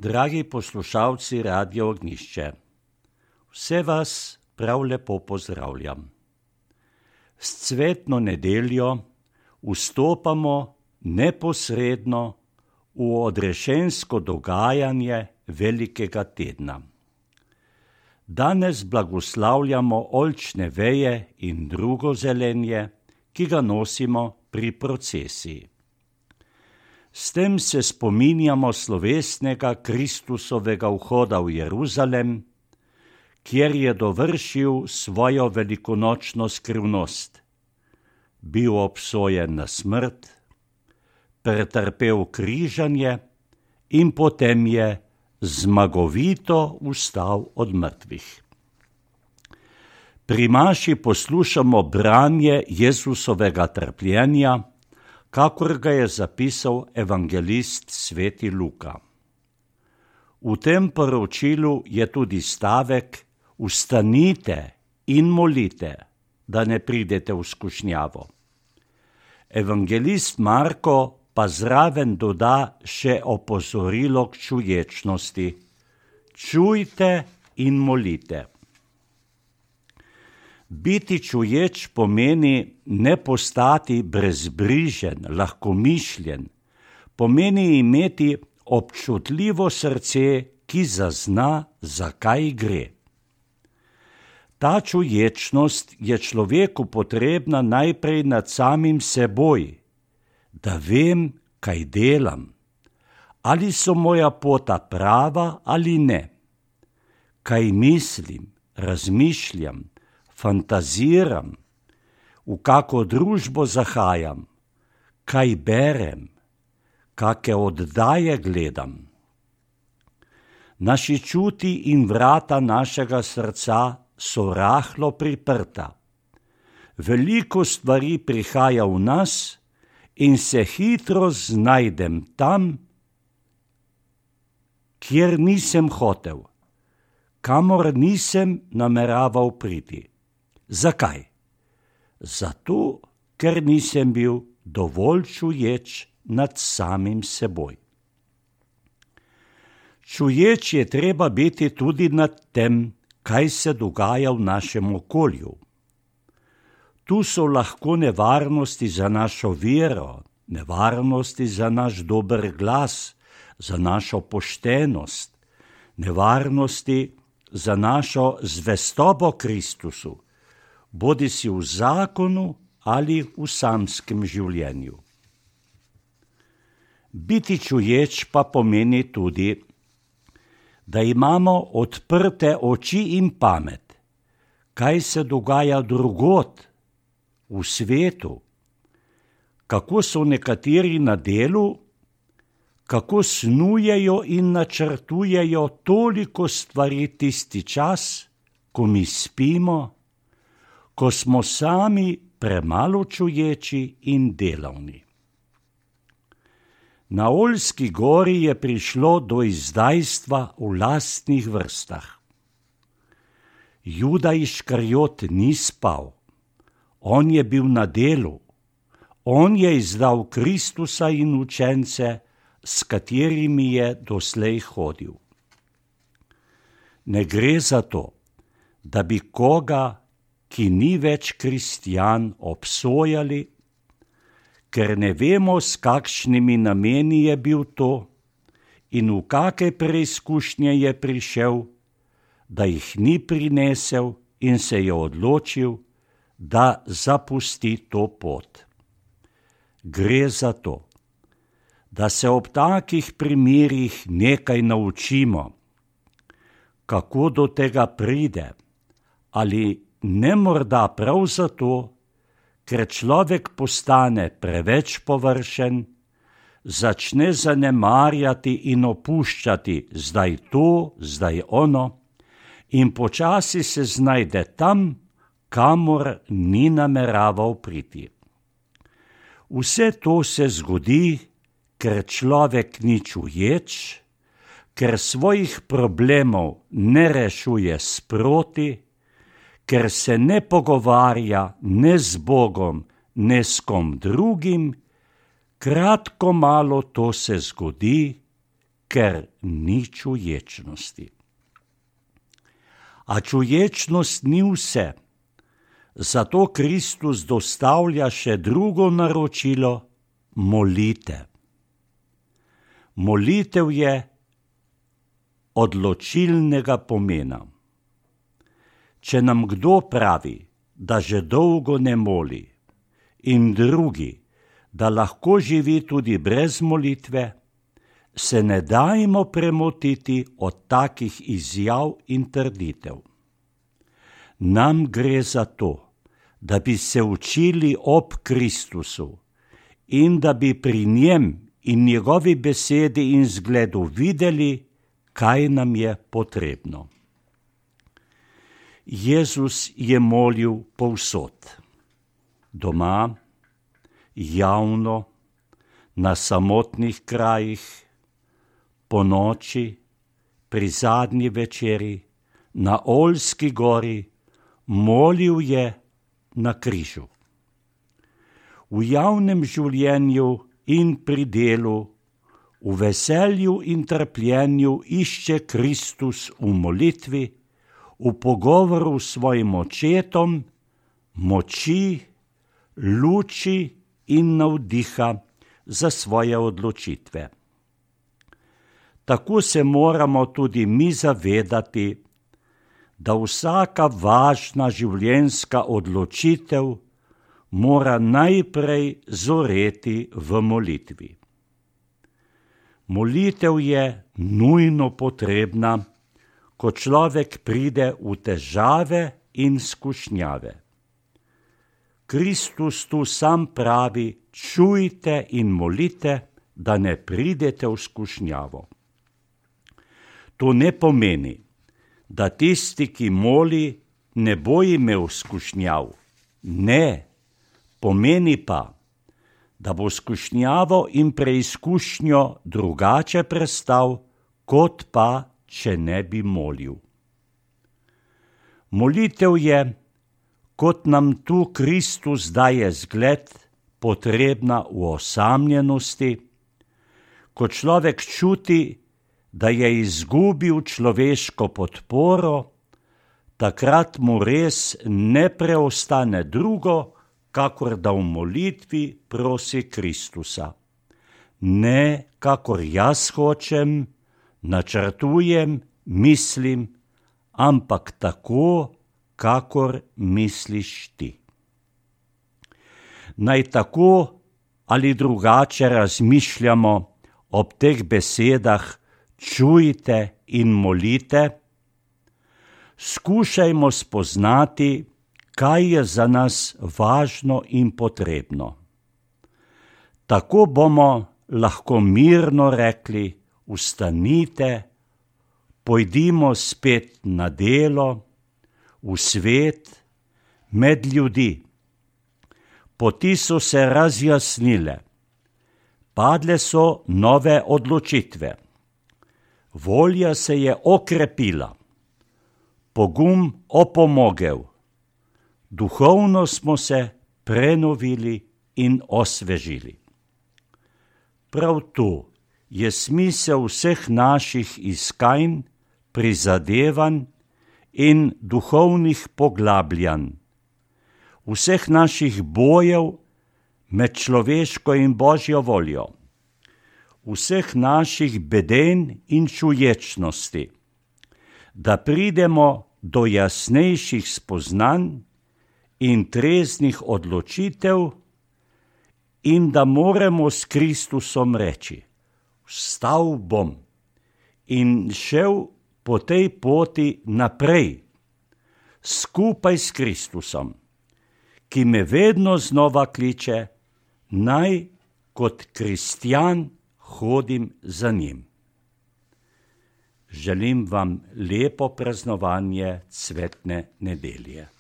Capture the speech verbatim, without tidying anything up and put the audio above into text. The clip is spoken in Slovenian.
Dragi poslušalci Radia Ognjišče, vse vas prav lepo pozdravljam. S cvetno nedeljo vstopamo neposredno v odrešensko dogajanje velikega tedna. Danes blagoslavljamo oljčne veje in drugo zelenje, ki ga nosimo pri procesiji. S tem se spominjamo slovesnega Kristusovega vhoda v Jeruzalem, kjer je dovršil svojo velikonočno skrivnost. Bil obsojen na smrt, pretrpel križanje in potem je zmagovito vstal od mrtvih. Pri maši poslušamo branje Jezusovega trpljenja, kakor ga je zapisal evangelist sveti Luka. V tem poročilu je tudi stavek: Vstanite in molite, da ne pridete v skušnjavo. Evangelist Marko pa zraven doda še opozorilo k čuječnosti: Čujte in molite. Biti čuječ pomeni ne postati brezbrižen, lahkomišljen, pomeni imeti občutljivo srce, ki zazna, zakaj gre. Ta čuječnost je človeku potrebna najprej nad samim seboj, da vem, kaj delam, ali so moja pota prava ali ne, kaj mislim, razmišljam, fantaziram, v kako družbo zahajam, kaj berem, kake oddaje gledam. Naši čuti in vrata našega srca so rahlo priprta. Veliko stvari prihaja v nas in se hitro znajdem tam, kjer nisem hotel, kamor nisem nameraval priti. Zakaj? Zato, ker nisem bil dovolj čuječ nad samim seboj. Čuječ je treba biti tudi nad tem, kaj se dogaja v našem okolju. Tu so lahko nevarnosti za našo vero, nevarnosti za naš dober glas, za našo poštenost, nevarnosti za našo zvestobo Kristusu, bodi si v zakonu ali v samskem življenju. Biti čuječ pa pomeni tudi, da imamo odprte oči in pamet, kaj se dogaja drugod, v svetu, kako so nekateri na delu, kako snujejo in načrtujejo toliko stvari tisti čas, ko mi spimo, ko smo sami premalo čuječi in delavni. Na Oljski gori je prišlo do izdajstva v lastnih vrstah. Juda Iškariot ni spal, on je bil na delu, on je izdal Kristusa in učence, s katerimi je doslej hodil. Ne gre za to, da bi koga, ki ni več kristjan, obsojali, ker ne vemo, s kakšnimi nameni je bil to in v kake preizkušnje je prišel, da jih ni prinesel in se je odločil, da zapusti to pot. Gre za to, da se ob takih primerih nekaj naučimo, kako do tega pride, ali ne morda prav zato, ker človek postane preveč površen, začne zanemarjati in opuščati zdaj to, zdaj ono in počasi se znajde tam, kamor ni nameraval priti. Vse to se zgodi, ker človek ni čuječ, ker svojih problemov ne rešuje sproti, ker se ne pogovarja ne z Bogom, ne s kom drugim, kratko malo to se zgodi, ker ni čuječnosti. A čuječnost ni vse, zato Kristus dostavlja še drugo naročilo, molite. Molitev je odločilnega pomena. Če nam kdo pravi, da že dolgo ne moli, in drugi, da lahko živi tudi brez molitve, se ne dajmo premotiti od takih izjav in trditev. Nam gre za to, da bi se učili ob Kristusu in da bi pri njem in njegovi besedi in zgledu videli, kaj nam je potrebno. Jezus je molil povsod, doma, javno, na samotnih krajih, po noči, pri zadnji večeri, na Oljski gori, molil je na križu. V javnem življenju in pri delu, v veselju in trpljenju išče Kristus v molitvi, v pogovoru s svojim očetom, moči, luči in navdiha za svoje odločitve. Tako se moramo tudi mi zavedati, da vsaka važna življenjska odločitev mora najprej zoreti v molitvi. Molitev je nujno potrebna, ko človek pride v težave in skušnjave. Kristus tu sam pravi, čujte in molite, da ne pridete v skušnjavo. To ne pomeni, da tisti, ki moli, ne bo imel skušnjav. Ne, pomeni pa, da bo skušnjavo in preizkušnjo drugače prestal, kot pa, če ne bi molil. Molitev je, kot nam tu Kristus daje zgled, potrebna v osamljenosti, ko človek čuti, da je izgubil človeško podporo, takrat mu res ne preostane drugo, kakor da v molitvi prosi Kristusa. Ne, kakor jaz hočem, načrtujem, mislim, ampak tako, kakor misliš ti. Naj tako ali drugače razmišljamo ob teh besedah, čujte in molite, skušajmo spoznati, kaj je za nas važno in potrebno. Tako bomo lahko mirno rekli, vstanite, pojdimo spet na delo, v svet, med ljudi. Poti so se razjasnile, padle so nove odločitve, volja se je okrepila, pogum opomogel, duhovno smo se prenovili in osvežili. Prav tu je smisel vseh naših iskanj, prizadevanj in duhovnih poglabljanj, vseh naših bojev med človeško in Božjo voljo, vseh naših beden in čuječnosti, da pridemo do jasnejših spoznanj in treznih odločitev in da moremo s Kristusom reči, vstal bom in šel po tej poti naprej, skupaj s Kristusom, ki me vedno znova kliče, naj kot kristjan hodim za njim. Želim vam lepo praznovanje cvetne nedelje.